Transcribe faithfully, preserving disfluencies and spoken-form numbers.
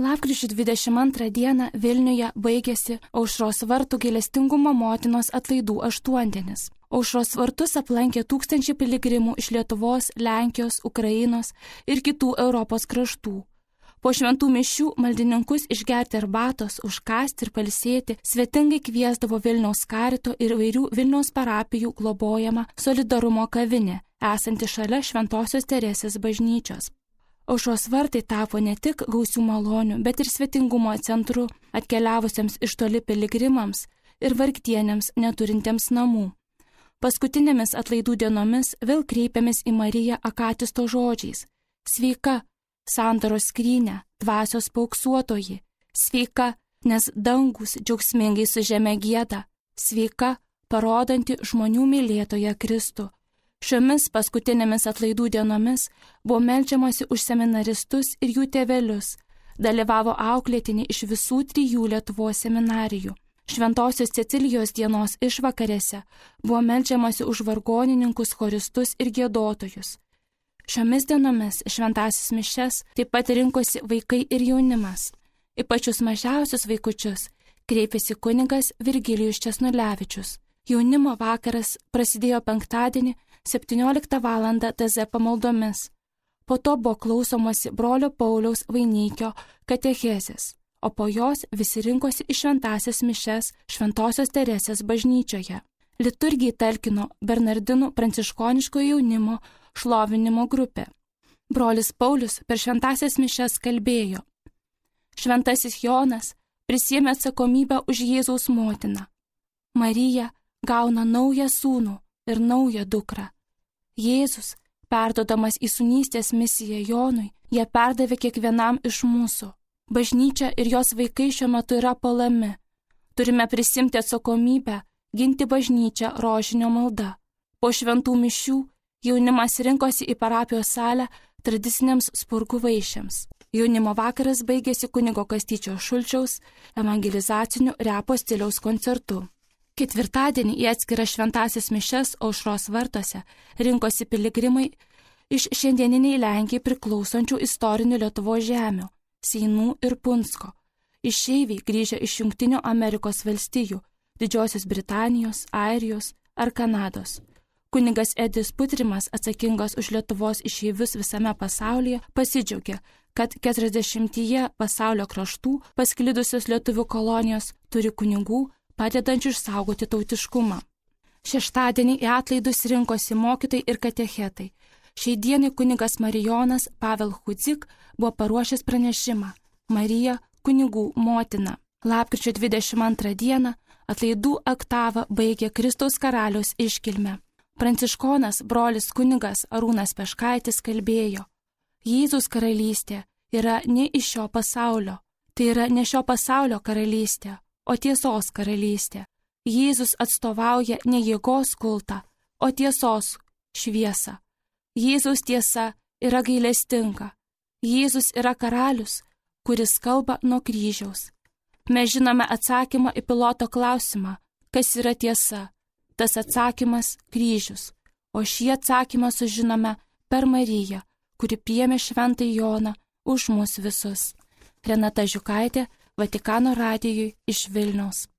Lapkričio dvidešimt antrą dieną Vilniuje baigėsi Aušros vartų gailestingumo motinos atlaidų aštuondienis. Aušros vartus aplankė tūkstančiai piligrimų iš Lietuvos, Lenkijos, Ukrainos ir kitų Europos kraštų. Po šventų mišių maldininkus išgerti arbatos, užkasti ir pailsėti svetingai kviesdavo Vilniaus karito ir įvairių Vilniaus parapijų globojama Solidarumo kavinė, esanti šalia Šventosios Teresės bažnyčios. Aušros vartai tapo ne tik gausių malonių, bet ir svetingumo centru atkeliavusiems iš toli piligrimams ir vargtienėms neturintiems namų. Paskutinėmis atlaidų dienomis vėl kreipiamės į Mariją Akatisto žodžiais: sveika, sandoros skrynė, dvasios pauksuotoji, sveika, nes dangus džiaugsmingai su žeme gieda, sveika, parodanti žmonių mylėtoją Kristų. Šiomis paskutinėmis atlaidų dienomis buvo meldžiamasi už seminaristus ir jų tėvelius, dalyvavo auklėtiniai iš visų trijų Lietuvos seminarijų. Šventosios Cecilijos dienos išvakarėse buvo meldžiamasi už vargonininkus, choristus ir giedotojus. Šiomis dienomis šventasis mišias taip pat rinkosi vaikai ir jaunimas. Į pačius mažiausius vaikučius kreipėsi kunigas Virgilijus Česnulevičius. Jaunimo vakaras prasidėjo penktadienį septynioliktą valandą T Z pamaldomis. Po to buvo klausomasi brolio Pauliaus Vainikio katechezės, o po jos visi rinkosi į šventasias mišias Šventosios Teresės bažnyčioje. Liturgijai talkino Bernardinų pranciškoniško jaunimo šlovinimo grupė. Brolis Paulius per šventasias mišias kalbėjo: Šventasis Jonas prisiėmė atsakomybę už Jėzaus motiną. Marija gauna naują sūnų ir naują dukrą. Jėzus, perdodamas į sūnystės misiją Jonui, ją perdavė kiekvienam iš mūsų. Bažnyčia ir jos vaikai šiuo metu yra puolami. Turime prisimti atsakomybę, ginti bažnyčią rožinio malda. Po šventų mišių jaunimas rinkosi į parapijos salę tradiciniams spurgų vaišėms. Jaunimo vakaras baigėsi kunigo Kastyčio Šulčiaus evangelizaciniu repo stiliaus koncertu. Ketvirtadienį į atskiras šventasias mišias Aušros vartuose rinkosi piligrimai iš šiandieniniai Lenkijai priklausančių istorinių Lietuvos žemių – Seinų ir Punsko. Išeiviai grįžę iš Jungtinių Amerikos valstijų, Didžiosios Britanijos, Airijos ar Kanados. Kunigas Edis Putrimas, atsakingas už Lietuvos išeivius visame pasaulyje, pasidžiaugė, kad keturiasdešimtyje pasaulio kraštų pasklidusios lietuvių kolonijos turi kunigų, padedančių išsaugoti tautiškumą. Šeštadienį į atlaidus rinkosi mokytojai ir katechetai. Šiai dienai kunigas Marijonas Pavel Hudzik buvo paruošęs pranešimą: Marija kunigų motina. Lapkričio dvidešimt antrą dieną atlaidų oktavą baigė Kristaus karaliaus iškilmę. Pranciškonas brolis kunigas Arūnas Peškaitis kalbėjo: Jėzus karalystė yra ne iš šio pasaulio, tai yra ne šio pasaulio karalystė, o tiesos karalystė. Jėzus atstovauja ne jėgos kultą, o tiesos šviesą. Jėzaus tiesa yra gailestinga. Jėzus yra karalius, kuris kalba nuo kryžiaus. Mes žinome atsakymą į Piloto klausimą, kas yra tiesa. Tas atsakymas – kryžius. O šį atsakymą sužinome per Mariją, kuri priėmė šventąjį Joną už mus visus. Renata Žiukaitė, Vatikano radijui iš Vilniaus.